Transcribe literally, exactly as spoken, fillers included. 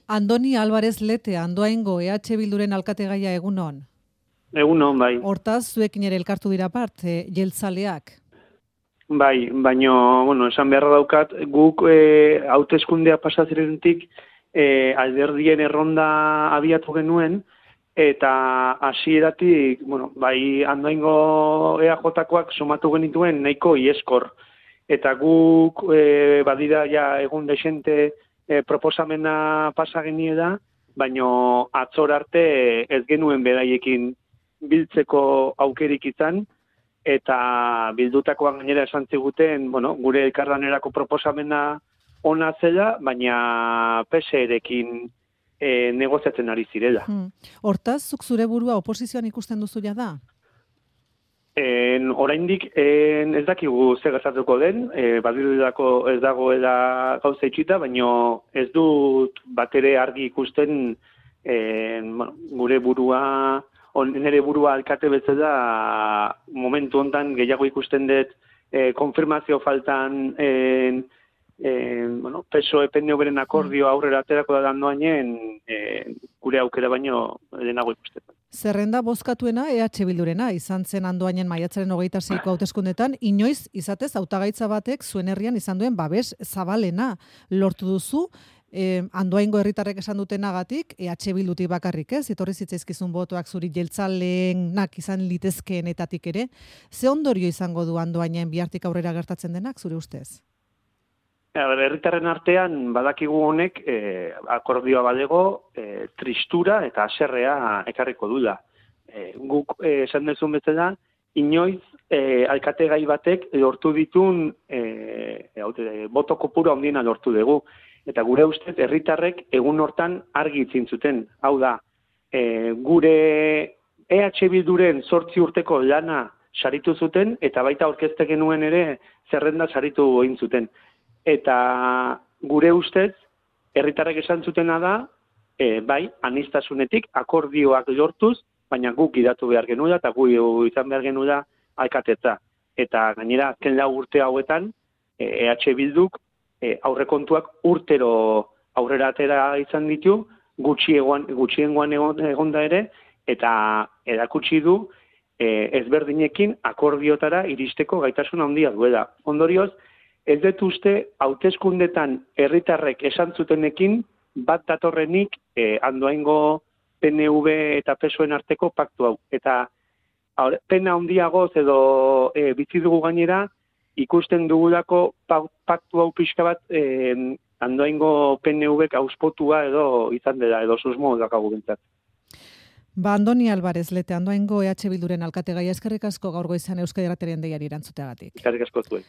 Andoni Álvarez Lete, Andoaingo E H Bilduren alkategaia egunon. Egunon, bai. Hortaz, zuekin ere elkartu dira part, e, jeltzaleak. Bai, baino, bueno, esan beharra daukat, guk e, hauteskundea pasazirenetik e, alderdien erronda abiatu genuen, eta hasieratik, bueno, bai Andoaingo E A J-koak somatu genituen nahiko ieskor. Eta guk e, badira ja egun desente e, proposamena pasa geniela, baino atzor arte ez genuen beraiekin biltzeko aukerik izan, eta bildutakoan gainera esan ziguten, bueno, gure elkarlanerako proposamena ona zela, baina P S E-rekin e, negoziatzen ari zirela. Hmm. Hortaz, zuk zure burua oposizioan ikusten duzu da? En, oraindik en, ez dakigu zer gertatuko den, e, badirudako ez dagoela gauza itxita, baino ez dut batere argi ikusten en, bueno, gure burua, on, nire burua alkate bezala momentu hontan gehiago ikusten dut e, konfirmazio faltan en, en, bueno, P S O E P N V-ren akordio aurrera aterako da dandoainen e, gure aukera baino lehenago ikusten. Zerrenda bozkatuena E H Bildurena izan zen Andoainen maiatzaren hogeita seiko hauteskundetan, inoiz izatez hautagaitza batek zuen herrian izan duen babes zabalena lortu duzu. Eh, Andoaingo herritarrek esan dutenagatik, E H Bildutik bakarrik ez, etorri zitzaizkizun botoak zuri jeltzaleenak izan litezkeenetatik ere. Ze ondorio izango du Andoainen bihartik aurrera gertatzen denak, zure ustez? Herritarren artean badakigu honek eh, akordioa balego, eh, tristura eta haserrea ekarriko dula. Eh, guk eh, esan dezun bezala, inoiz eh, alkategai batek lortu ditun eh, eh, boto kopuru handiena lortu dugu. Eta gure ustez herritarrek egun hortan argi itzin zuten. Hau da, e, gure E H Bilduren zortzi urteko lana saritu zuten, eta baita aurkezte genuen ere zerrenda saritu egin zuten. Eta gure ustez, herritarrek esan zutena da, e, bai, aniztasunetik akordioak lortuz, baina guk gidatu behar genuela, eta gu izan behar genuela alkatetza. Eta gainera, azken lau urte hauetan, E H Bilduk, E, aurrekontuak urtero aurrera atera izan ditu, gutxiengoan gutxiengoan egon, egonda ere, eta erakutsi du e, ezberdinekin akordiotara iristeko gaitasun handia duela. Ondorioz, ez dut uste hauteskundetan herritarrek esan zutenekin bat datorrenik e, Andoaingo P N V eta P S O-en arteko paktu hau. Eta aur, pena handiagoz edo e, bizi dugu gainera, ikusten dugulako paktu hau pixka bat eh, Andoaingo P N V-ek auspotua edo izan dela, edo susmo dakagu bintzat. Ba, Andoni Álvarez Lete, Andoaingo E H Bilduren alkategaia, eskerrik asko gaur goizan Euskadi Irratiaren deiari erantzuteagatik. Eskerrik asko zuen.